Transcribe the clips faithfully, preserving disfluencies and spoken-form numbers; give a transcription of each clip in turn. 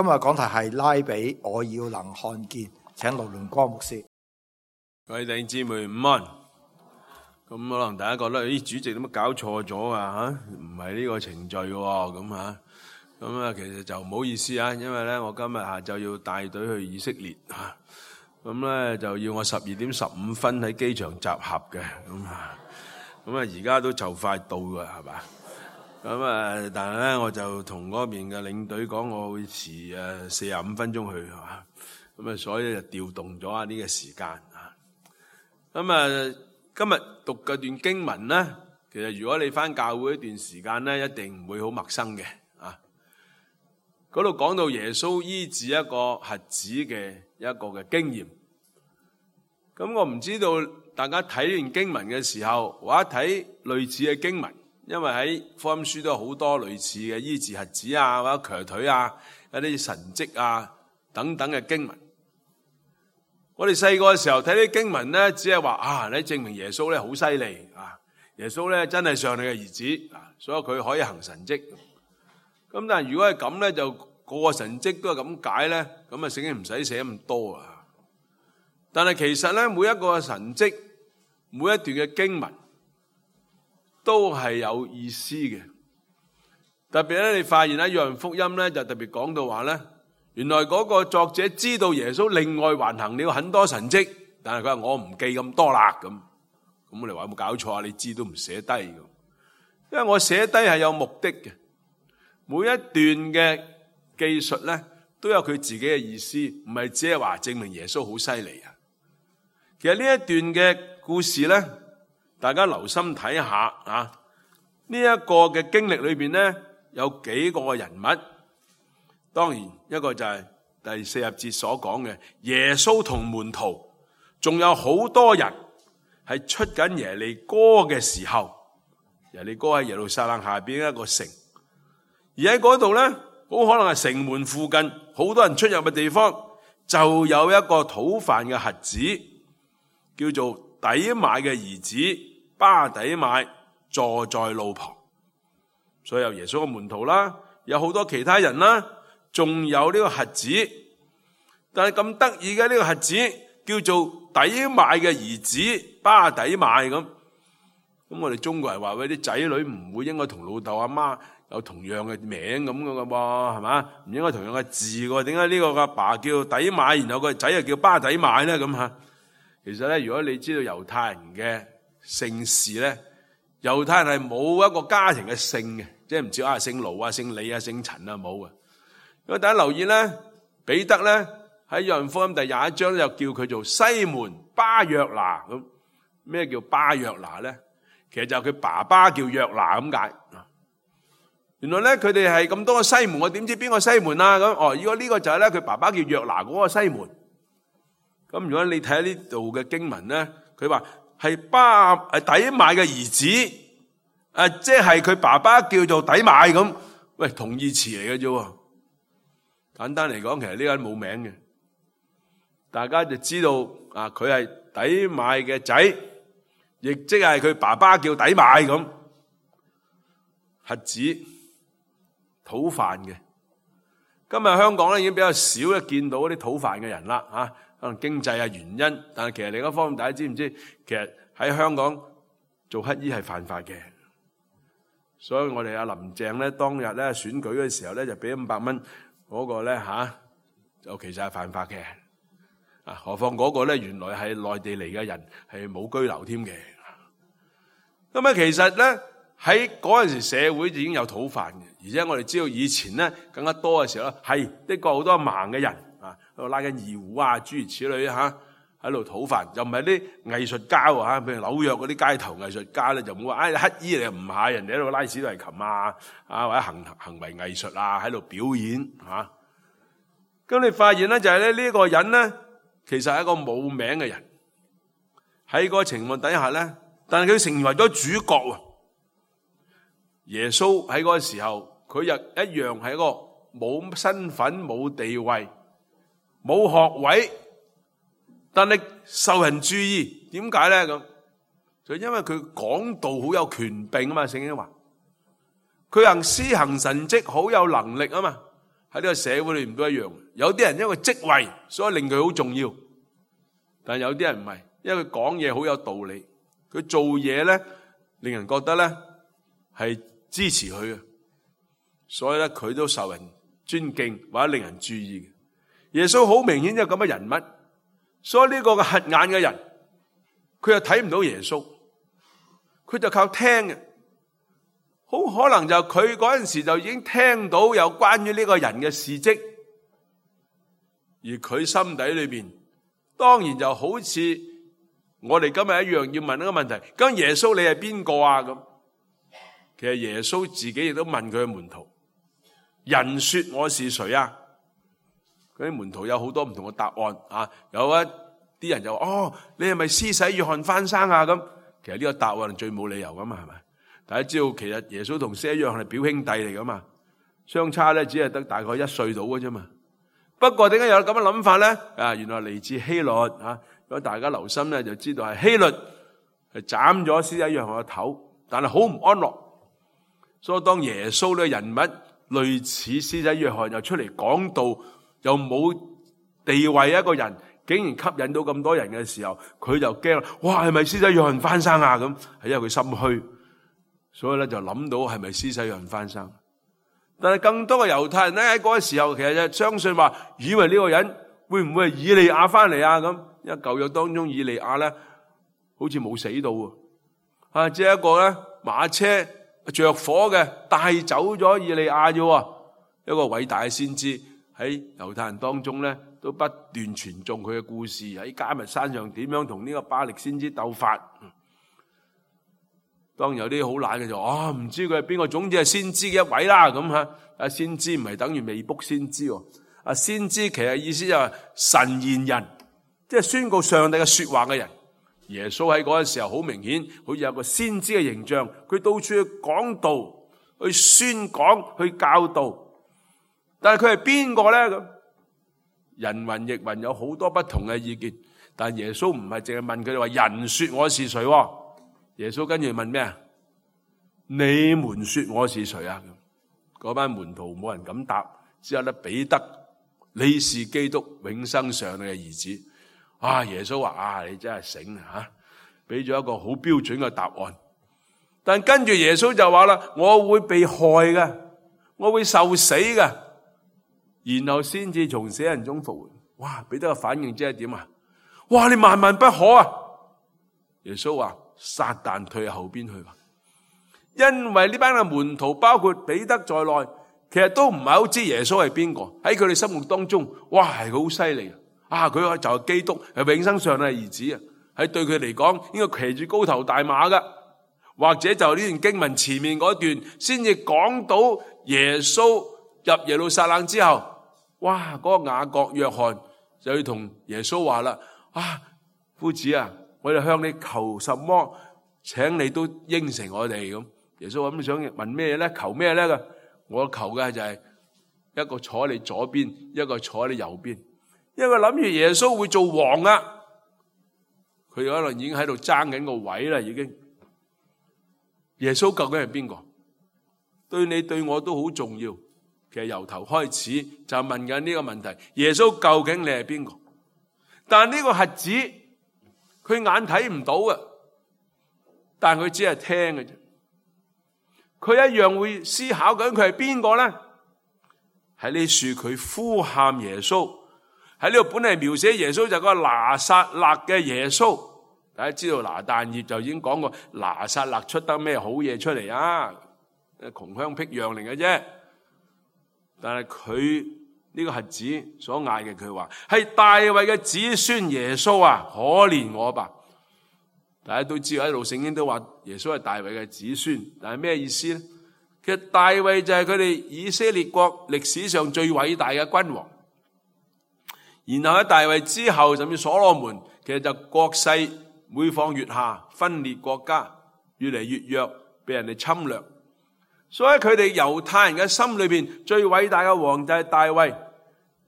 今日講題係拉比，我要能看見，請盧龍光牧師。各位弟兄姊妹午安。咁可能大家覺得，咦，主席點解搞錯咗啊？吓，唔係呢個程序嘅，咁啊，咁啊，其實就唔好意思啊，因為咧，我今日下晝要帶隊去以色列啊，咁咧就要我十二點十五分喺機場集合嘅，咁啊，咁啊，而家都就快到噶，係嘛？咁啊，但係咧，我就同嗰邊嘅領隊講，我會遲誒四十五分鐘去，係嘛？咁啊，所以就調動咗啊呢個時間啊。咁啊，今日讀嘅段經文咧，其實如果你返教會一段時間咧，一定唔會好陌生嘅啊。嗰度講到耶穌醫治一個瞎子嘅一個嘅經驗。咁我唔知道大家睇完經文嘅時候，或者睇類似嘅經文。因為喺福音書都有好多類似嘅醫治瞎子啊，或者瘸腿啊，一啲神蹟啊等等嘅經文。我哋細個嘅時候睇啲經文咧，只係話啊，你證明耶穌咧好犀利啊，耶穌咧真係上帝嘅兒子啊，所以佢可以行神蹟。咁但係如果係咁咧，就個個神蹟都係咁解咧，咁啊聖經唔使寫咁多啊。但係其實咧，每一個神蹟，每一段嘅經文，都係有意思嘅。特別咧，你發現喺約翰福音咧，就特別講到話咧，原來嗰個作者知道耶穌另外還行了很多神蹟，但係佢話我唔記咁多啦咁。咁我哋話有冇搞錯啊？你知都唔寫低嘅，因為我寫低係有目的嘅。每一段嘅記述咧，都有佢自己嘅意思，唔係只係話證明耶穌好犀利啊。其實呢一段嘅故事咧，大家留心睇下啊！呢一個嘅經歷裏邊咧，有幾個人物。當然一個就係第四十節所講嘅耶穌同門徒，仲有好多人係出緊耶利哥嘅時候，耶利哥喺耶路撒冷下邊一個城，而喺嗰度咧，好可能係城門附近，好多人出入嘅地方，就有一個討飯嘅瞎子，叫做底買嘅兒子巴底買坐在路旁。所以有耶穌嘅門徒啦，有好多其他人啦，仲有呢個瞎子。但係咁得意嘅呢個瞎子叫做底買嘅兒子巴底買咁。咁我哋中國人話喂，啲仔女唔會應該同老豆阿媽有同樣嘅名咁嘅噃，係嘛？唔應該同樣嘅字嘅，點解呢個阿爸叫底買，然後個仔又叫巴底買咧？咁吓，其實咧，如果你知道猶太人嘅姓氏咧，猶太人係冇一個家庭嘅姓嘅，即係唔知啊姓盧啊、姓李啊、姓陳啊冇嘅。如果大家留意咧，彼得咧喺約翰福音第廿一章又叫佢做西門巴約拿咁。咩叫巴約拿咧？其實就係佢爸爸叫約拿咁解。原來咧佢哋係咁多個西門，我點知邊個西門啊？咁哦，如果呢個就係咧佢爸爸叫約拿嗰個西門。咁如果你睇下呢度嘅經文咧，佢話係巴誒底買嘅兒子，誒即係佢爸爸叫做底買咁，喂同義詞嚟嘅啫。簡單嚟講，其實呢個人冇名嘅，大家就知道啊，佢係底買嘅仔，亦即係佢爸爸叫底買咁。瞎子討飯嘅，今日香港咧已經比較少咧見到啲討飯嘅人啦，吓、啊。可能經濟啊原因，但係其實另一方面，大家知唔知？其實喺香港做乞衣係犯法嘅，所以我哋阿林鄭咧當日咧選舉嘅時候咧就俾五百蚊嗰個咧吓，就其實係犯法嘅。啊，何況嗰個咧原來係內地嚟嘅人，係冇居留添嘅。咁啊，其實咧喺嗰陣時社會已經有討飯嘅，而且我哋知道以前咧更加多嘅時候咧係的確好多盲嘅人。喺度拉緊二胡啊，諸如此類吓，喺度討飯，又唔係啲藝術家吓，譬如紐約嗰啲街頭藝術家咧，就冇話唉乞衣嚟唔係，人哋喺度拉小提琴啊，啊或者行行為藝術啊，喺度表演吓。咁你發現咧就係咧呢個人咧，其實係一個冇名嘅人，喺個情況底下咧，但係佢成為咗主角喎。耶穌喺嗰個時候，佢又一樣係一個冇身份、冇地位。冇學位，但係受人注意，點解咧咁？就因為佢講道好有權柄啊嘛，聖經話佢行施行神蹟好有能力啊嘛，喺呢個社會裏面都一樣。有啲人因為職位，所以令佢好重要，但有啲人唔係，因為佢講嘢好有道理，佢做嘢咧令人覺得咧係支持佢嘅，所以咧佢都受人尊敬或者令人注意嘅。耶穌好明顯有咁嘅人物，所以呢個嘅瞎眼嘅人，佢又睇唔到耶穌，佢就靠聽嘅。好可能就佢嗰陣時就已經聽到有關於呢個人嘅事蹟，而佢心底裏邊當然就好似我哋今日一樣要問一個問題：咁耶穌你係邊個啊？咁其實耶穌自己亦都問佢嘅門徒：人說我是誰啊？嗰啲門徒有好多唔同嘅答案啊！有一啲人就話：哦，你係咪施洗約翰翻生啊？咁其實呢個答案最冇理由噶嘛，係咪？大家知道其實耶穌同施洗約翰係表兄弟嚟噶嘛，相差咧只係得大概一歲到嘅啫嘛。不過點解有咁嘅諗法咧？啊，原來嚟自希律啊！如果大家留心咧，就知道係希律係斬咗施洗約翰嘅頭，但係好唔安樂。所以當耶穌呢個人物類似施洗約翰又出嚟講道，又冇地位一個人，竟然吸引到咁多人嘅時候，佢就驚啦！哇，係咪施洗約翰翻生啊？咁係因為佢心虛。所以咧就諗到係咪施洗約翰翻生，但係更多嘅猶太人咧喺嗰個時候其實就相信話，以為呢個人會唔會係以利亞翻嚟啊？咁因為舊約當中以利亞咧好似冇死到喎，啊，只係一個咧馬車着火嘅帶走咗以利亞啫，一個偉大嘅先知喺猶太人當中咧都不斷傳頌佢嘅故事，喺迦密山上點樣同呢個巴力先知鬥法。當有啲好懶嘅就啊，唔知佢係邊個，總之係先知嘅一位啦咁吓。啊，先知唔係等於未卜先知喎。啊，先知其實意思就係神言人，即係宣告上帝嘅說話嘅人。耶穌喺嗰陣時候好明顯，好似有個先知嘅形象，佢到處去講道、去宣講、去教導。但係佢係邊個咧？咁人云亦云，有好多不同嘅意見。但耶穌唔係淨係問佢哋話人說我是誰。耶穌跟住問咩啊？你們說我是誰啊？嗰班門徒冇人敢答，只有得彼得，你是基督，永生上帝嘅兒子。啊！耶穌話：啊，你真係醒啊！吓，俾咗一個好標準嘅答案。但跟住耶穌就話啦：我會被害嘅，我會受死嘅，然後先至從死人中復活。哇！彼得嘅反應即係點啊？哇！你萬萬不可啊！耶穌話：撒旦退後邊去吧。因為呢班嘅門徒包括彼得在內，其實都唔係好知耶穌係邊個。喺佢哋心目當中，哇，係好犀利啊！佢就係基督，係永生上帝嘅兒子啊！喺對佢嚟講，應該騎住高頭大馬噶。或者就呢段經文前面嗰段，先至講到耶穌入耶路撒冷之後，哇！嗰個雅各、約翰就要同耶穌話啦：啊，夫子啊，我哋向你求什麼，請你都應承我哋咁。耶穌話：咁想問咩咧？求咩咧？我求嘅就係一個坐喺你左邊，一個坐喺你右邊。因為諗住耶穌會做王啊，佢可能已經喺度爭緊個位啦，已經。耶穌究竟係邊個？對你對我都好重要。其實由頭開始就問緊呢個問題：耶穌究竟你係邊個？但係呢個瞎子，佢眼睇唔到嘅，但係佢只係聽嘅啫。佢一樣會思考緊佢係邊個咧？喺呢處佢呼喊耶穌。喺呢度本嚟描寫耶穌就係個拿撒勒嘅耶穌。大家知道拿但業就已經講過拿撒勒出得咩好嘢出嚟啊？窮鄉僻壤嚟嘅啫。但係佢呢個瞎子所嗌嘅，佢話係大衛嘅子孫耶穌啊，可憐我吧！大家都知道喺路聖經都話耶穌係大衛嘅子孫，但係咩意思咧？其實大衛就係佢哋以色列國歷史上最偉大嘅君王。然後喺大衛之後，甚至所羅門，其實就國勢每況愈下，分裂國家，越嚟越弱，被人哋侵略。所以佢哋猶太人嘅心裏邊最偉大嘅王就係大衛，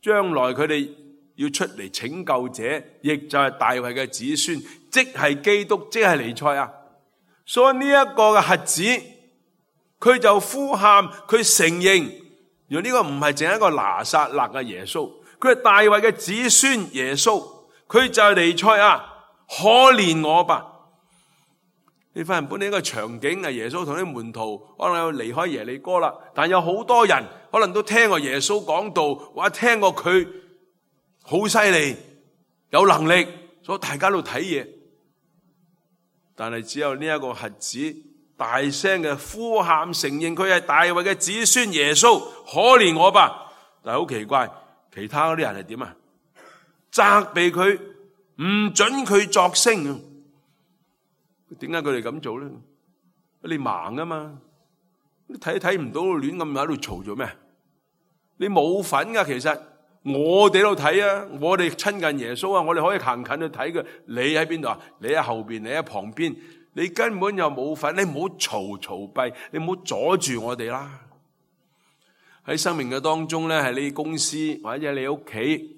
將來佢哋要出嚟拯救者，亦就係大衛嘅子孫，即係基督，即係彌賽亞。所以呢一個嘅瞎子，佢就呼喊，佢承認原來呢個唔係淨係一個拿撒勒嘅耶穌，佢係大衛嘅子孫耶穌，佢就係彌賽亞，可憐我吧。你發現本來呢個場景係耶穌同啲門徒可能要離開耶利哥啦，但有好多人可能都聽過耶穌講道，或者聽過佢好犀利有能力，所以大家都睇嘢。但係只有呢一個瞎子大聲嘅呼喊，承認佢係大衛嘅子孫耶穌，可憐我吧。但係好奇怪，其他嗰啲人係點啊？責備佢，唔准佢作聲。點解佢哋咁做咧？你盲啊嘛，你睇睇唔到，亂咁喺度嘈做咩？你冇份噶，其實我哋都睇啊，我哋親近耶穌啊，我哋可以行近去睇嘅。你喺邊度啊？你喺後邊，你喺旁邊，你根本就冇份。你唔好嘈嘈閉，你唔好阻住我哋啦。喺生命嘅當中咧，係你公司或者你屋企，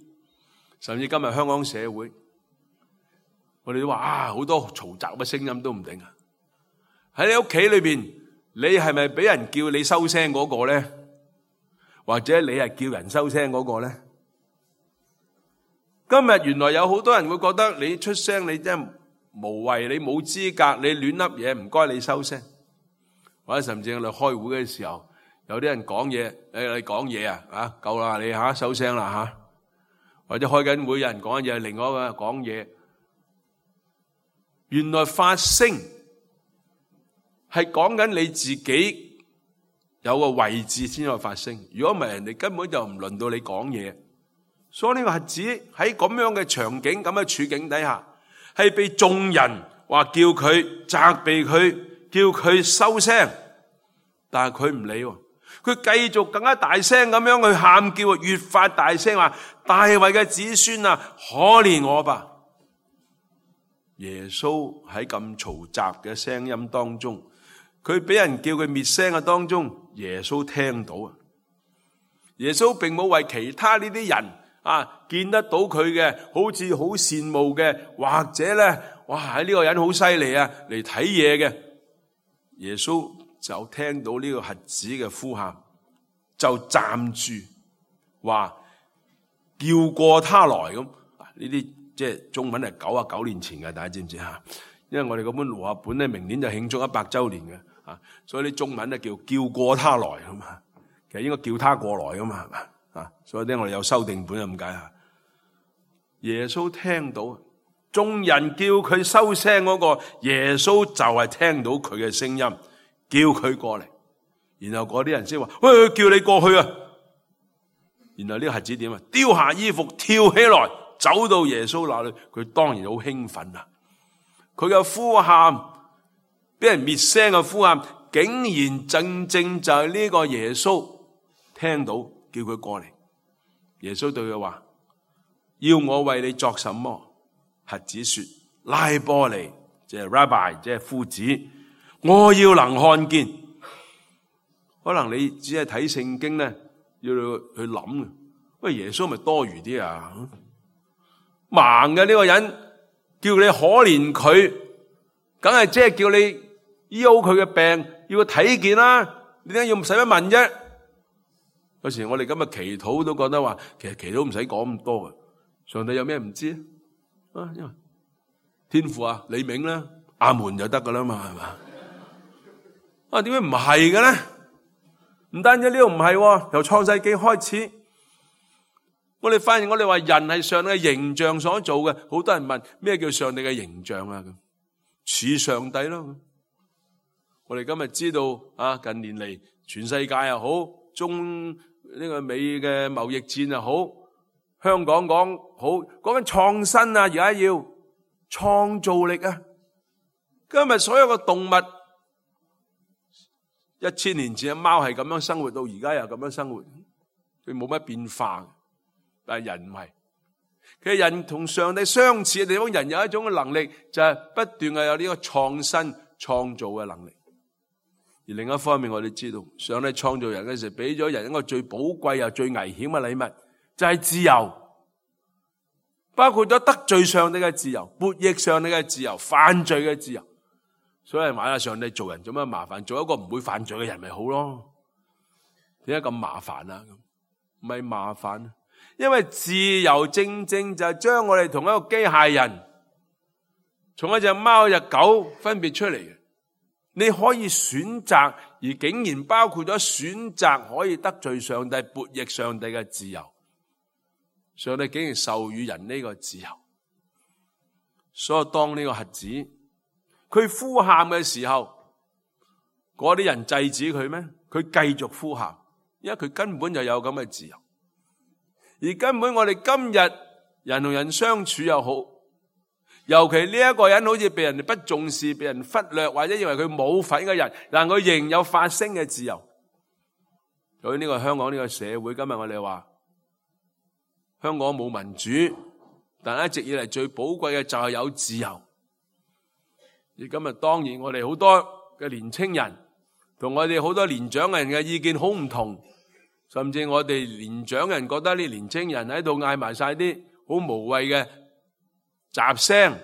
甚至今日香港社會。我哋都話啊，好多嘈雜嘅聲音都唔定啊！喺你屋企裏邊，你係咪俾人叫你收聲嗰個咧？或者你係叫人收聲嗰個咧？今日原來有好多人會覺得你出聲，你真係無謂，你冇資格，你亂笠嘢，唔該你收聲。或者甚至我哋開會嘅時候，有啲人講嘢，誒你講嘢啊，啊夠啦，你吓收聲啦吓。或者開緊會有人講嘢，另外一個講嘢。原來發聲係講緊你自己有個位置先有發聲，如果唔係人哋根本就唔輪到你講嘢。所以呢個瞎子喺咁樣嘅場景、咁嘅處境底下，係被眾人話叫佢責備佢，叫佢收聲，但係佢唔理，佢繼續更加大聲咁樣去喊叫，越發大聲話：大衛嘅子孫啊，可憐我吧！耶穌喺咁嘈雜嘅聲音當中，佢俾人叫佢滅聲嘅當中，耶穌聽到啊！耶穌並冇為其他呢啲人啊見得到佢嘅，好似好羨慕嘅，或者咧，哇喺呢個人好犀利啊嚟睇嘢嘅。耶穌就聽到呢個瞎子嘅呼喊，就站住話叫過他來咁。呢啲即係中文係九啊九年前嘅，大家知唔知啊？因為我哋嗰本和合本咧，明年就慶祝一百周年嘅，啊，所以啲中文咧叫叫過他來咁啊，其實應該叫他過來噶嘛，啊，所以咧我哋有修訂本咁解啊。耶穌聽到眾人叫佢收聲嗰個，耶穌就係聽到佢嘅聲音，叫佢過嚟，然後嗰啲人先話：喂，叫你過去啊！然後呢個瞎子點啊？丟下衣服，跳起來。走到耶穌那裏，佢當然好興奮啦！佢嘅呼喊，俾人滅聲嘅呼喊，竟然正正就係呢個耶穌聽到，叫佢過嚟。耶穌對佢話：要我為你作什麼？瞎子說：拉波尼，即係 Rabbi，即係夫子，我要能看見。可能你只係睇聖經咧，要去諗，喂，耶穌咪多餘啲啊？盲嘅呢個人叫你可憐佢，梗係即係叫你醫好佢嘅病，要佢睇見啦。你點解要唔使乜問啫？有時我哋今日祈禱都覺得話，其實祈禱唔使講咁多嘅。上帝有咩唔知啊？因為天父啊，你明啦，阿門就得噶啦嘛，係嘛？啊，點解唔係嘅咧？唔單止呢度唔係，由創世紀開始。我哋發現我哋話人係上帝嘅形象所做嘅，好多人問咩叫上帝嘅形象啊？咁似上帝咯。我哋今日知道啊，近年嚟全世界又好，中呢個美嘅貿易戰又好，香港講好講緊創新啊，而家要創造力啊。今日所有嘅動物，一千年前嘅貓係咁樣生活，到而家又咁樣生活，佢冇乜變化。但係人唔係，其實人同上帝相似嘅地方，人有一種嘅能力，就係不斷係有呢個創新創造嘅能力。而另一方面，我哋知道上帝創造人嘅時候，俾咗人一個最寶貴又最危險嘅禮物，就係自由，包括咗得罪上帝嘅自由、悖逆上帝嘅自由、犯罪嘅自由。所以話啦，上帝做人做乜麻煩？做一個唔會犯罪嘅人咪好咯。點解咁麻煩啊？唔係麻煩，因為自由正正就係將我哋同一個機械人，從一隻貓、一隻狗分別出嚟嘅。你可以選擇，而竟然包括咗選擇可以得罪上帝、悖逆上帝嘅自由。上帝竟然授予人呢個自由，所以當呢個瞎子佢呼喊嘅時候，嗰啲人制止佢咩？佢繼續呼喊，因為佢根本就有咁嘅自由。而根本我哋今日人同人相處又好，尤其呢一個人好似被人哋不重視、被人忽略，或者認為佢冇份嘅人，但佢仍有發聲嘅自由。所以呢個香港呢個社會，今日我哋話香港冇民主，但一直以嚟最寶貴嘅就係有自由。而今日當然我哋好多嘅年青人同我哋好多年長人嘅意見好唔同，甚至我哋年長人覺得啲年青人喺度嗌埋晒啲好無謂嘅雜聲，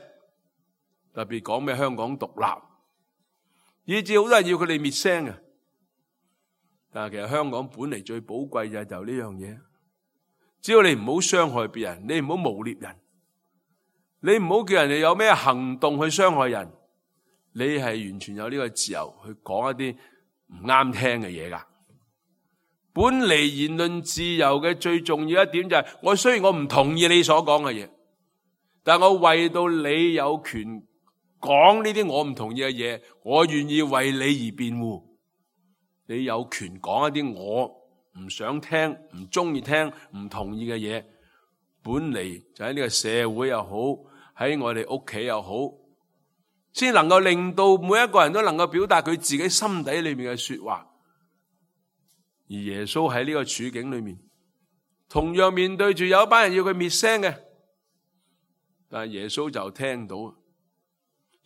特別講咩香港獨立，以至好多人要佢哋滅聲嘅。但係其實香港本嚟最寶貴嘅就係呢樣嘢，只要你唔好傷害別人，你唔好誣衊人，你唔好叫人哋有咩行動去傷害人，你係完全有呢個自由去講一啲唔啱聽嘅嘢噶。本嚟言論自由嘅最重要一點就係，我雖然我唔同意你所講嘅嘢，但我為到你有權講呢啲我唔同意嘅嘢，我願意為你而辯護。你有權講一啲我唔想聽、唔中意聽、唔同意嘅嘢，本嚟就喺呢個社會又好，喺我哋屋企又好，先能夠令到每一個人都能夠表達佢自己心底裏面嘅說話。而耶穌喺呢個處境裏面，同樣面對住有一班人要佢滅聲嘅，但係耶穌就聽到。而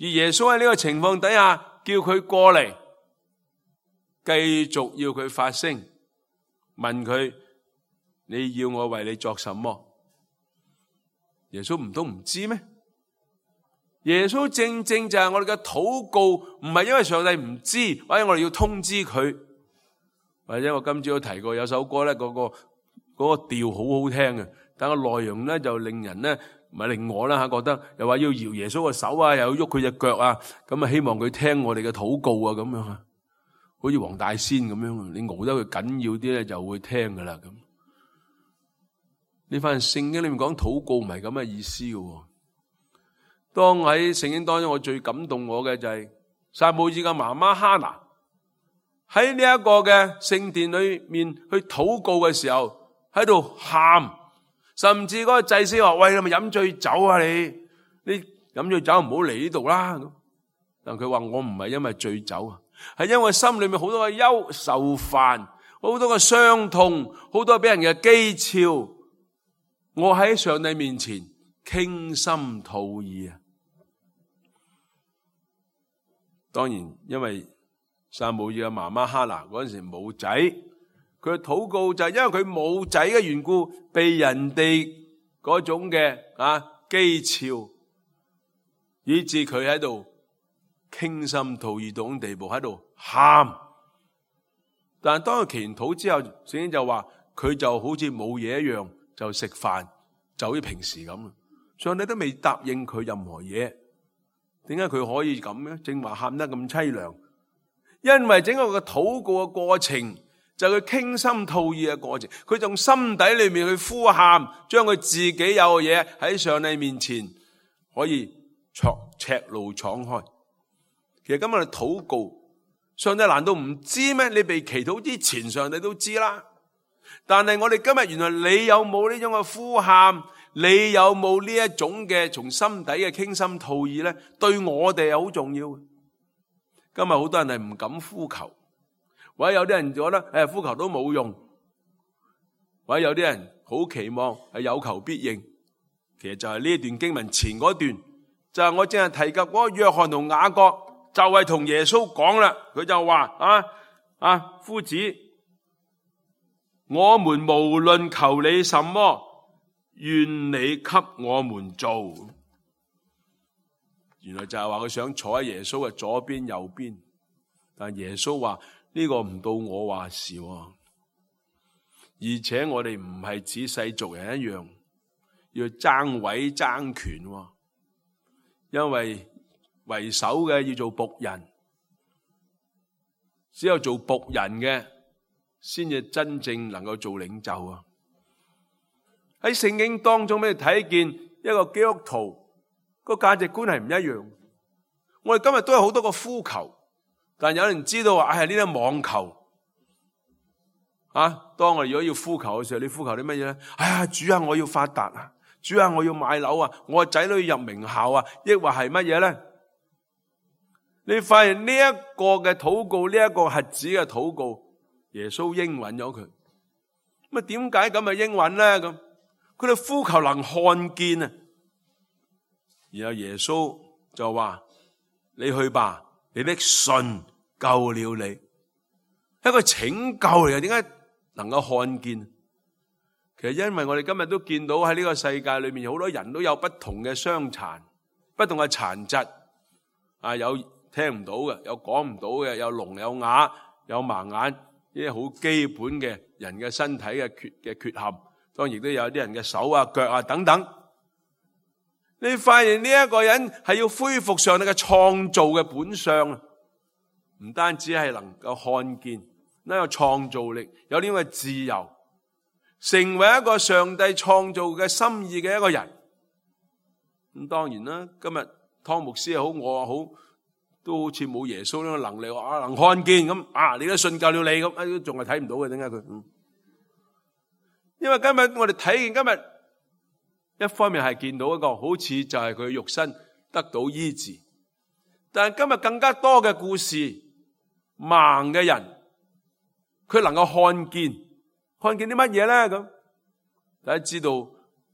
耶穌喺呢個情況底下，叫佢過嚟，繼續要佢發聲，問佢：你要我為你作什麼？耶穌唔通唔知咩？耶穌正正就係我哋嘅禱告，唔係因為上帝唔知，或者我哋要通知佢。或者我今朝都提過有首歌咧，嗰個嗰個調好好聽嘅，但個內容咧就令人咧唔係令我啦吓覺得，又話要搖耶穌嘅手啊，又要喐佢隻腳啊，咁啊希望佢聽我哋嘅禱告啊，咁樣啊，好似黃大仙咁樣，你熬得佢緊要啲咧就會聽噶啦咁。呢番聖經裏面講禱告唔係咁嘅意思嘅。當喺聖經當中，我最感動我嘅就係撒母耳嘅媽媽哈拿。喺呢一個嘅聖殿裏面去禱告嘅時候，喺度喊，甚至嗰個祭司話：喂，你咪飲醉酒啊你？你飲醉酒唔好嚟呢度啦。但佢話：我唔係因為醉酒啊，係因為心裏面好多嘅憂愁煩，好多嘅傷痛，好多俾人嘅譏誚。我喺上帝面前傾心吐意啊！當然，因為撒母耳嘅媽媽哈拿嗰陣時冇仔，佢禱告就係因為佢冇仔嘅緣故，被人哋嗰種嘅啊譏誚，以致佢喺度傾心吐意到種地步，喺度喊。但係當佢祈完禱之後，聖經就話佢就好似冇嘢一樣，就食飯，就好似平時咁。上帝都未答應佢任何嘢，點解佢可以咁咧？正話喊得咁淒涼。因為整個嘅禱告嘅過程就係佢傾心吐意嘅過程，佢從心底裏面去呼喊，將佢自己有嘅嘢喺上帝面前可以赤露敞開。其實今日我哋禱告，上帝難道唔知咩？你被祈禱之前，上帝都知啦。但係我哋今日原來你有冇呢種嘅呼喊？你有冇呢一種嘅從心底嘅傾心吐意咧？對我哋係好重要嘅。今日好多人係唔敢呼求，或者有啲人覺得誒呼求都冇用，或者有啲人好期望係有求必應。其實就係呢一段經文前嗰段，就係我正係提及嗰個約翰同雅各，就係同耶穌講啦。佢就話啊啊夫子，我們無論求你什麼，願你給我們做。原來就係話佢想坐喺耶穌嘅左邊右邊，但耶穌話呢個唔到我話事，而且我哋唔係似世俗人一樣要爭位爭權，因為為首嘅要做僕人，只有做僕人嘅先至真正能夠做領袖啊！喺聖經當中，俾你睇見一個基督徒個價值觀係唔一樣。我哋今日都有好多個呼求，但有人知道話係呢啲網球啊。當我哋如果要呼求嘅時候，你呼求啲乜嘢咧？哎呀，主啊，我要發達啊！主啊，我要買樓啊！我個仔女入名校啊！抑或係乜嘢咧？你發現呢一個嘅禱告，呢一個瞎子嘅禱告，耶穌應允咗佢。咁啊，點解咁啊應允咧？咁佢哋呼求能看見啊！然後耶穌就話：你去吧，你的信救了你。一個拯救嚟嘅，點解能夠看見？其實因為我哋今日都見到喺呢個世界裏面，好多人都有不同嘅傷殘、不同嘅殘疾啊，有聽唔到嘅，有講唔到嘅，有聾有啞，有盲眼，呢啲好基本嘅人嘅身體嘅缺嘅缺陷。當然亦都有啲人嘅手啊、腳啊等等。你發現呢一個人係要恢復上帝嘅創造嘅本相，唔單止係能夠看見，呢個創造力，有呢個自由，成為一個上帝創造嘅心意嘅一個人。咁當然啦，今日湯牧師又好，我又好，都好似冇耶穌呢個能力，啊能看見咁啊，你都信救了你咁，啊仲係睇唔到嘅，點解佢？嗯，因為今日我哋睇見今日一方面係見到一個好似就係佢肉身得到醫治，但係今日更加多嘅故事，盲嘅人佢能夠看見，看見啲乜嘢咧？咁大家知道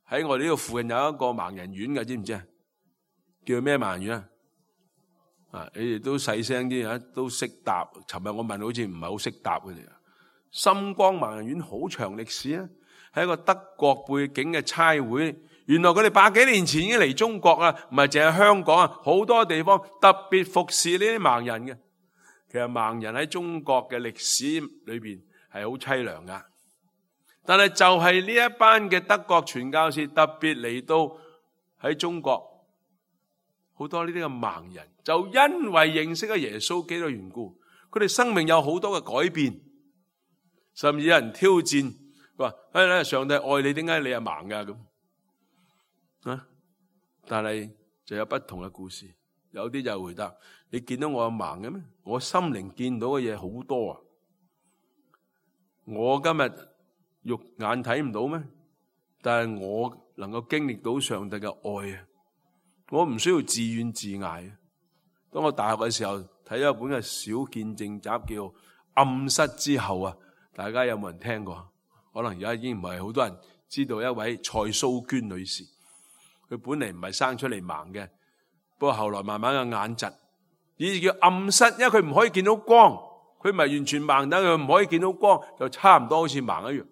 喺我哋呢度附近有一個盲人院嘅，知唔知啊？叫咩盲人院啊？啊！你哋都細聲啲啊，都識答。尋日我問，好似唔係好識答佢哋啊。深光盲人院好長歷史啊，係一個德國背景嘅差會。原來佢哋百幾年前已經嚟中國啦，唔係淨係香港啊，好多地方特別服侍呢啲盲人嘅。其實盲人喺中國嘅歷史裏邊係好淒涼噶，但係就係呢一班嘅德國傳教士特別嚟到喺中國。好多呢啲嘅盲人就因為認識咗耶穌基督嘅緣故，佢哋生命有好多嘅改變，甚至有人挑戰話：哎咧，上帝愛你，點解你係盲噶咁啊？但係就有不同嘅故事，有啲就回答：你見到我係盲嘅咩？我心靈見到嘅嘢好多啊！我今日肉眼睇唔到咩？但係我能夠經歷到上帝嘅愛啊！我唔需要自怨自艾。當我大學嘅時候睇咗一本嘅小見證集，叫《暗室之後》啊，大家有冇人聽過？可能而家已經唔係好多人知道一位蔡蘇娟女士。佢本嚟唔係生出嚟盲嘅，不過後來慢慢嘅眼疾，以至叫暗室，因為佢唔可以見到光，佢唔係完全盲，但佢唔可以見到光，就差唔多好似盲一樣。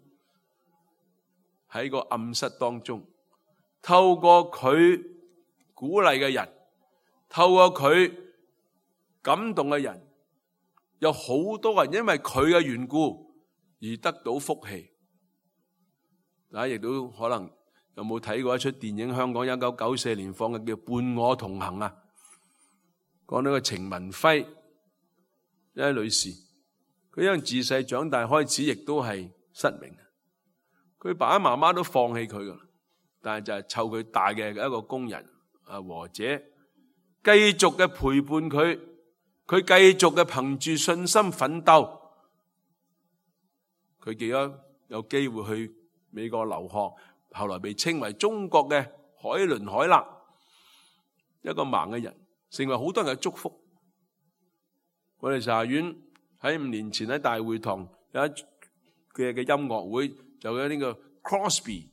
喺個暗室當中，透過佢鼓勵嘅人，透過佢感動嘅人，有好多人因為佢嘅緣故而得到福氣。大家亦都可能有冇睇過一出電影？香港一九九四年放嘅叫《伴我同行》啊，講到個程文輝一位女士，佢因為自細長大開始亦都係失明，佢爸爸媽媽都放棄佢噶，但係就係湊佢大嘅一個工人。啊，和姐繼續嘅陪伴佢，佢繼續嘅憑住信心奮鬥，佢記得有機會去美國留學，後來被稱為中國嘅海倫凱勒，一個盲嘅人，成為好多人嘅祝福。我哋查院喺五年前喺大會堂有一嘅嘅音樂會，就有呢個 Crosby。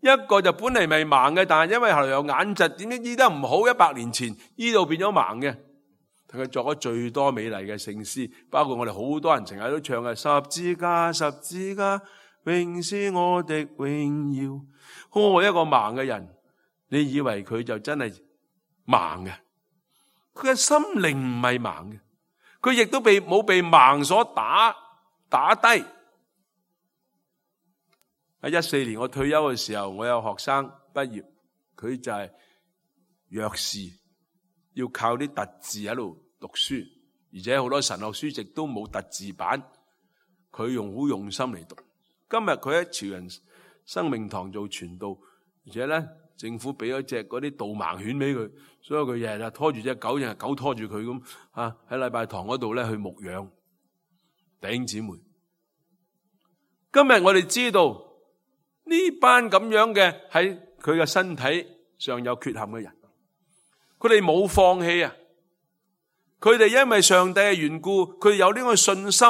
一個就本嚟未盲嘅，但係因為後來有眼疾，點知醫得唔好，一百年前醫到變咗盲嘅。佢作咗最多美麗嘅聖詩，包括我哋好多人成日都唱嘅十字架，十字架，永是我的榮耀。我一個盲嘅人，你以為佢就真係盲嘅？佢嘅心靈唔係盲嘅，佢亦都被冇被盲所打打低。喺一四年我退休嘅時候，我有學生畢業，佢就係弱視，要靠啲特字喺度讀書，而且好多神學書籍都冇特字版，佢用好用心嚟讀。今日佢喺潮人生命堂做傳道，而且咧政府俾咗隻嗰啲導盲犬俾佢，所以佢日日拖住隻狗，日日狗拖住佢咁啊，喺禮拜堂嗰度咧去牧養弟兄姊妹。今日我哋知道呢班咁樣嘅喺佢嘅身體上有缺陷嘅人，佢哋冇放棄啊！佢哋因為上帝嘅緣故，佢哋有呢個信心，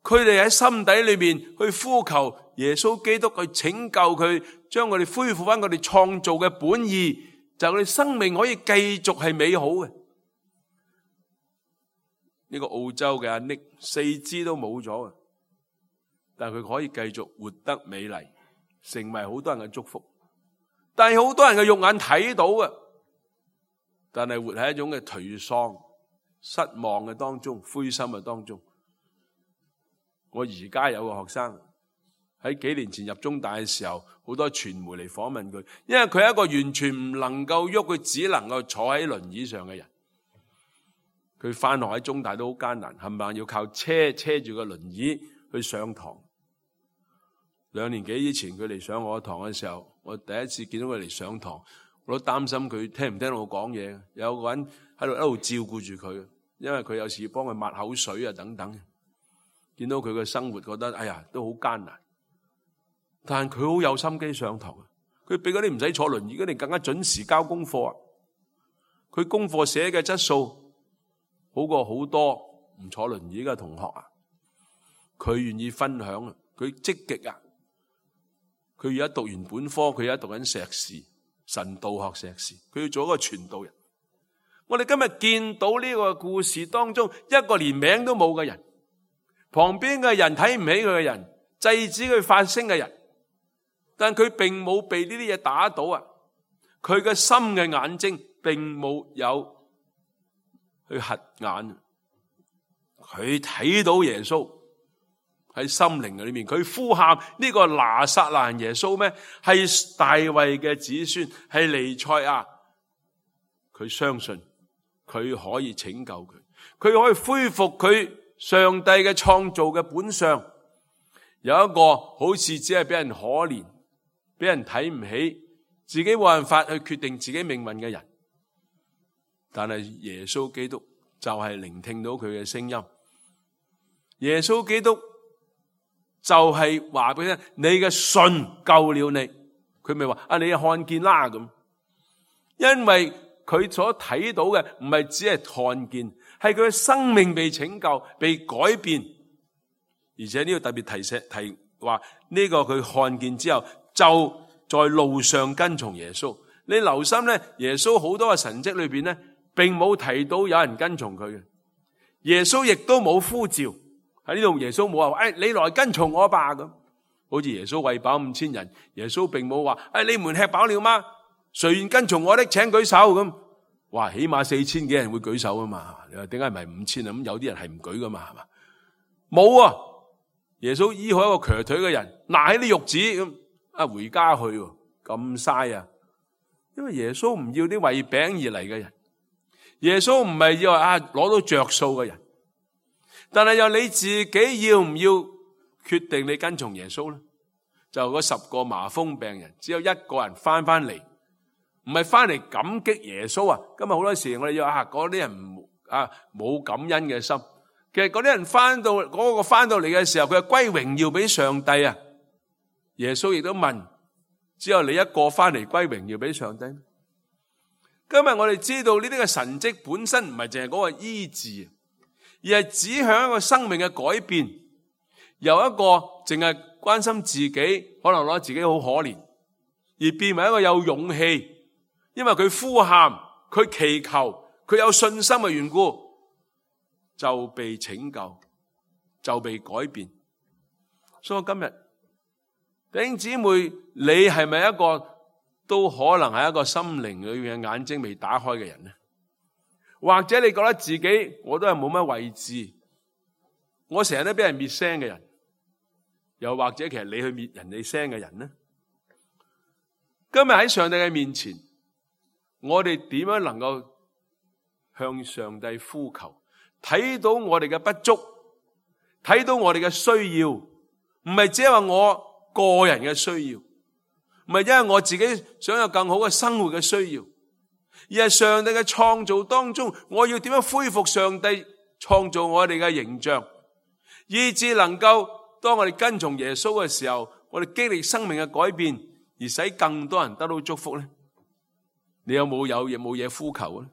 佢哋喺心底裏面去呼求耶穌基督去拯救佢，將佢哋恢復翻佢哋創造嘅本意，就佢哋生命可以繼續係美好嘅。呢個澳洲嘅阿 Nick 四肢都冇咗，但係佢可以繼續活得美麗，成為好多人嘅祝福。但係好多人嘅肉眼睇到嘅，但係活喺一種嘅頹喪、失望嘅當中、灰心嘅當中。我而家有個學生喺幾年前入中大嘅時候，好多傳媒嚟訪問佢，因為佢係一個完全唔能夠喐，佢只能夠坐喺輪椅上嘅人。佢返學喺中大都好艱難，冚唪唥要靠車車住個輪椅去上堂。兩年幾以前佢嚟上我堂嘅時候，我第一次見到佢嚟上堂，我都擔心佢聽唔聽到我講嘢。有個人喺度一路照顧住佢，因為佢有時幫佢抹口水啊等等。見到佢嘅生活，覺得哎呀都好艱難。但係佢好有心機上堂，佢比嗰啲唔使坐輪椅嗰啲更加準時交功課啊！佢功課寫嘅質素好過好多唔坐輪椅嘅同學啊！佢願意分享啊，佢積極啊！佢而家讀完本科，佢而家讀緊碩士，神道學碩士，佢要做一個傳道人。我哋今日見到呢個故事當中，一個連名都冇嘅人，旁邊嘅人睇唔起佢嘅人，制止佢發聲嘅人，但佢並冇被呢啲嘢打倒啊！佢嘅心嘅眼睛並冇有去瞎眼，佢睇到耶穌喺心靈裏面，佢呼喊呢個拿撒勒耶穌咩？係大衛嘅子孫，係彌賽亞。佢相信佢可以拯救佢，佢可以恢復佢上帝嘅創造嘅本相。有一個好似只係俾人可憐，俾人睇唔起，自己冇辦法去決定自己命運嘅人，但係耶穌基督就係聆聽到佢嘅聲音。耶穌基督就係話俾你聽，你嘅信救了你。佢咪話啊，你看見啦咁。因為佢所睇到嘅唔係只係看見，係佢嘅生命被拯救、被改變。而且呢個特別提醒提話呢個佢看見之後，就在路上跟從耶穌。你留心咧，耶穌好多嘅神蹟裏邊咧，並冇提到有人跟從佢嘅。耶穌亦都冇呼召。喺呢度耶穌冇話，誒，你來跟從我吧咁。好似耶穌餵飽五千人，耶穌並冇話，誒，你們吃飽了嗎？誰願跟從我的，請舉手咁。哇，起碼四千幾人會舉手啊嘛。你話點解唔係五千啊？咁有啲人係唔舉噶嘛，係嘛？冇啊！耶穌醫好一個瘸腿嘅人，拿起啲褥子咁啊，回家去，咁嘥啊！因為耶穌唔要啲為餅而嚟嘅人，耶穌唔係要啊攞到着數嘅人。但係又你自己要唔要決定你跟從耶穌咧？就嗰十個麻風病人，只有一個人翻翻嚟，唔係翻嚟感激耶穌啊！今日好多時我哋要啊嗰啲人唔啊冇感恩嘅心。其實嗰啲人翻到嗰、嗰個翻到嚟嘅時候，佢係歸榮耀俾上帝啊！耶穌亦都問：只有你一個翻嚟歸榮耀俾上帝？今日我哋知道呢啲嘅神蹟本身唔係淨係嗰個醫治，而係指向一個生命嘅改變，由一個淨係關心自己，可能覺得自己好可憐，而變為一個有勇氣，因為佢呼喊、佢祈求、佢有信心嘅緣故，就被拯救，就被改變。所以今日弟兄姊妹，你係咪一個都可能係一個心靈裏面嘅眼睛未打開嘅人呢？或者你覺得自己我都係冇乜位置，我成日都俾人滅聲嘅人，又或者其實你去滅人哋聲嘅人呢？今日喺上帝嘅面前，我哋點樣能夠向上帝呼求？睇到我哋嘅不足，睇到我哋嘅需要，唔係只係話我個人嘅需要，唔係因為我自己想有更好嘅生活嘅需要，而係上帝嘅創造當中，我要點樣恢復上帝創造我哋嘅形象，以致能夠當我哋跟從耶穌嘅時候，我哋經歷生命嘅改變，而使更多人得到祝福呢？你有冇有嘢冇嘢呼求呢？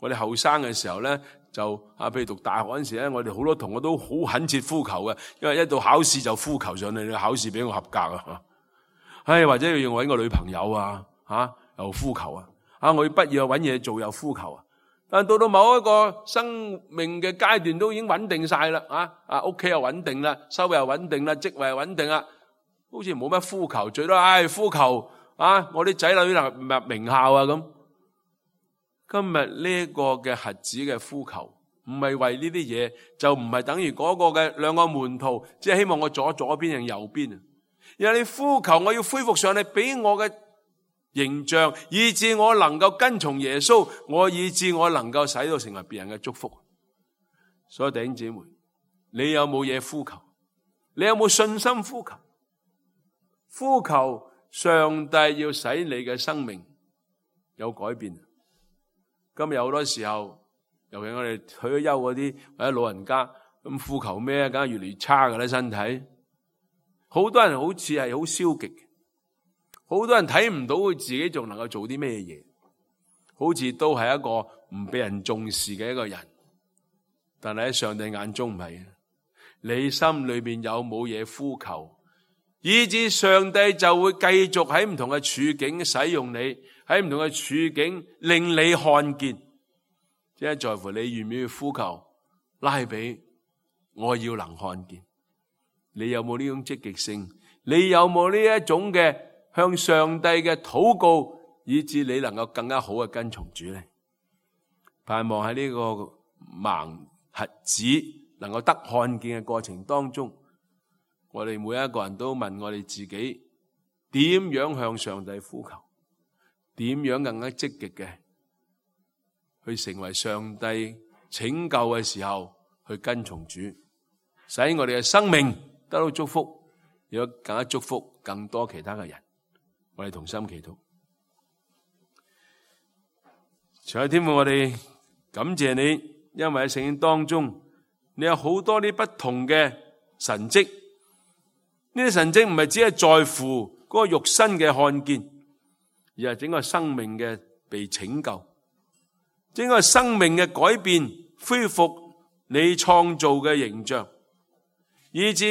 我哋後生嘅時候呢，就啊，譬如讀大學嗰陣時咧，我哋好多同學都好懇切呼求嘅，因為一到考試就呼求上嚟，你考試俾我合格啊！唉，或者要搵個女朋友啊，吓、啊、又呼求啊！啊，我要畢業搵嘢做又呼求啊！但到到某一個生命嘅階段都已經穩定晒啦，啊啊，屋企又穩定啦，收入又穩定啦，職位又穩定啦，好似冇乜呼求，最多唉呼求啊，我啲仔女入入名校啊咁。今日呢個嘅瞎子嘅呼求，唔係為呢啲嘢，就唔係等於嗰個嘅兩個門徒，即係希望我左左邊定右邊啊！而係你呼求，我要恢復上你俾我嘅形象，以致我能夠跟從耶穌，我以致我能夠使到成為別人嘅祝福。所以弟兄姊妹，你有冇嘢呼求？你有冇信心呼求？呼求上帝要使你嘅生命有改變。今日好多時候，尤其我哋退咗休嗰啲或者老人家，咁呼求咩？梗係越嚟越差㗎啦，身體。好多人好似係好消極，好多人睇唔到佢自己仲能夠做啲咩嘢，好似都係一個唔俾人重視嘅一個人。但係喺上帝眼中唔係，你心裏邊有冇嘢呼求，以致上帝就會繼續喺唔同嘅處境使用你。喺唔同嘅處境令你看見，即係在乎你願唔願意呼求拉比，我要能看見。你有冇呢種積極性？你有冇呢一種嘅向上帝嘅禱告，以致你能夠更加好嘅跟從主呢？盼望喺呢個盲瞎子能夠得看見嘅過程當中，我哋每一個人都問我哋自己，點樣向上帝呼求？點樣更加積極嘅去成為上帝拯救嘅時候去跟從主，使我哋嘅生命得到祝福，有更加祝福更多其他嘅人。我哋同心祈禱。主啊，天父，我哋感謝你，因為喺聖經當中你有好多啲不同嘅神蹟，呢啲神蹟唔係只係在乎嗰個肉身嘅看見，而係整個生命嘅被拯救，整個生命嘅改變，恢復你創造嘅形象，以致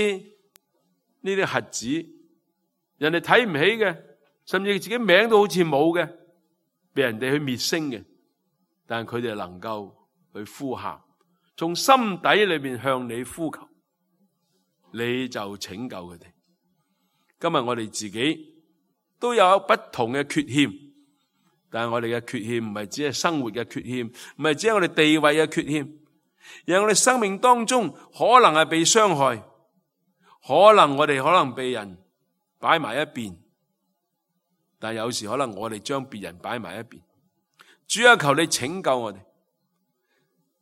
呢啲瞎子，人哋睇唔起嘅，甚至自己名都好似冇嘅，被人哋去滅聲嘅，但係佢哋能夠去呼喊，從心底裏邊向你呼求，你就拯救佢哋。今日我哋自己都有不同嘅缺陷，但係我哋嘅缺陷唔係只係生活嘅缺陷，唔係只係我哋地位嘅缺陷，而係我哋生命當中可能係被傷害，可能我哋可能被人擺埋一邊，但有時可能我哋將別人擺埋一邊。主啊，求你拯救我哋，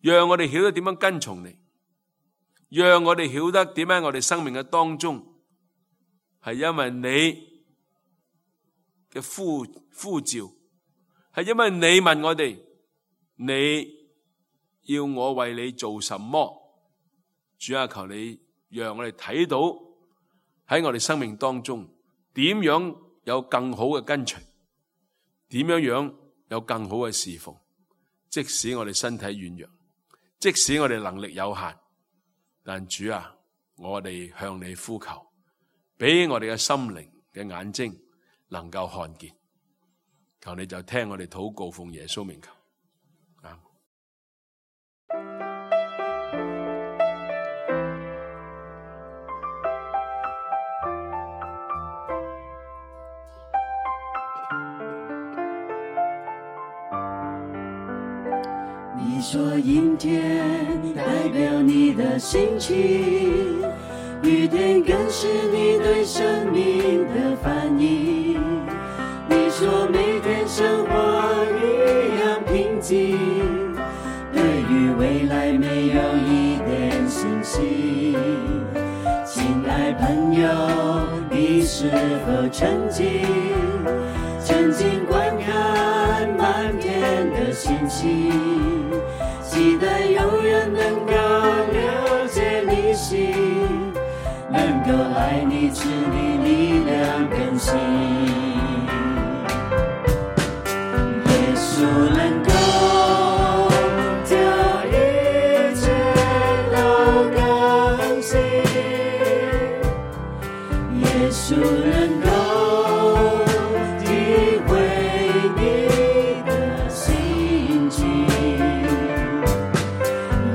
讓我哋曉得點樣跟從你，讓我哋曉得點解我哋生命嘅當中係因為你嘅呼呼召，係因為你問我哋，你要我為你做什麼？主啊，求你讓我哋睇到喺我哋生命當中點樣有更好嘅跟隨，點樣樣有更好嘅侍奉。即使我哋身體軟弱，即使我哋能力有限，但主啊，我哋向你呼求，俾我哋嘅心靈嘅眼睛能夠看見，求你就聽我哋禱告，奉耶穌名求。啊！你说阴天代表你的心情，雨天更是你对生命的翻译。你说每天生活一样平静，对于未来没有一点信息。亲爱朋友，你是否曾经曾经观看满天的星星，期待永远能够了解你心，能够爱你赐你力量更新。耶稣能够叫一切都更新，耶稣能够体会你的心情，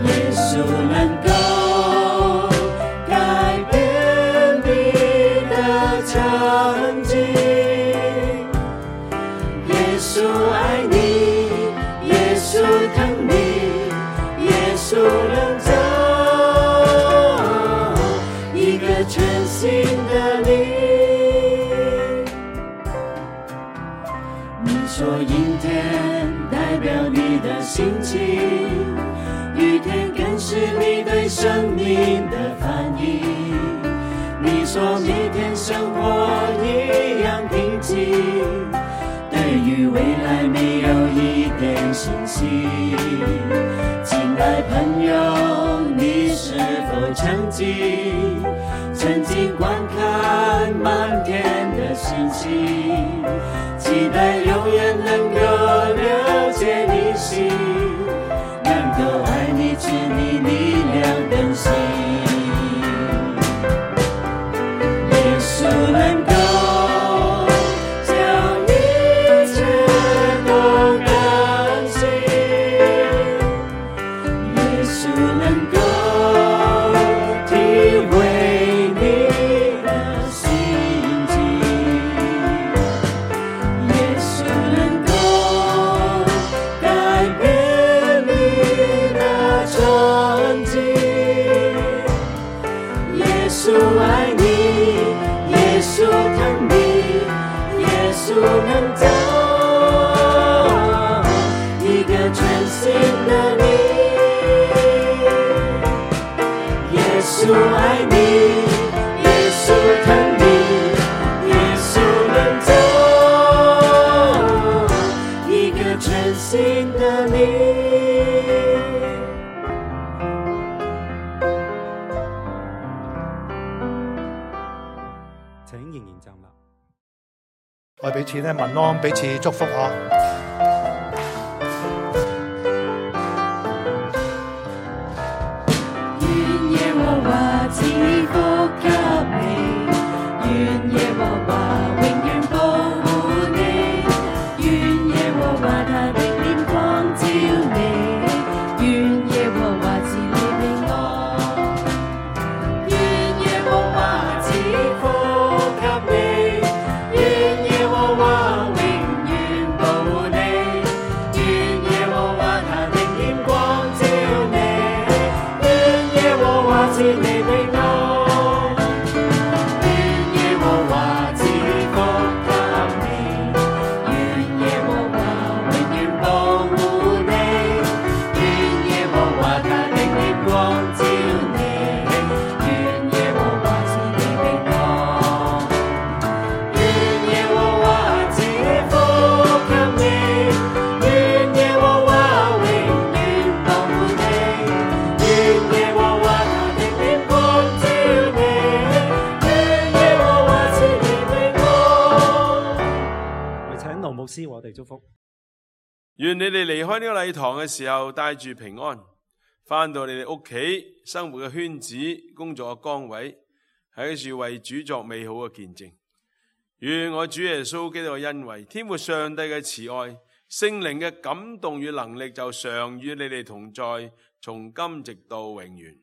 耶稣能够改变你的场景。耶稣爱你，耶稣疼你，耶稣能造一个全新的你。你说阴天代表你的心情，雨天更是你对生命的翻译。你说每天生活一样平静，对于未来没有一点信息。亲爱朋友，你是否曾经曾经观看满天的星星，期待永远能够了解你心，能够爱你赐你力量更新。耶稣能够叫一切都更新，耶稣能够体会你的心情，耶稣能够改变你的场景。耶稣爱你，耶稣疼你，耶稣能造一个全新的你。耶稣爱你，耶稣疼你，耶稣能造一个全新的你。請仍然站立。我哋彼此咧問安，彼此祝福嗬。願耶和華賜福給你，願耶和華永遠保護你，願耶和華他的臉光照你，願耶和華賜你平安，願耶和華賜福給你，願耶和華永遠保護你，願耶和華他的臉光照你，願耶和華賜你平安，願耶和華賜福給你，願耶和華永遠保護你，願耶和華他的臉光照你，願耶和華賜你平安，願耶和華賜福給你，願耶和華永遠保護你，願耶和華他的臉光照你，願耶和華賜你平安。我請盧牧師為我哋祝福。願你哋離開呢個禮堂嘅時候帶住平安，返到你哋屋企生活嘅圈子、工作嘅崗位，喺處為主作美好嘅見證。願我主耶穌基督嘅恩惠、天父上帝嘅慈愛、聖靈嘅感動與能力就常與你哋同在，從今直到永遠。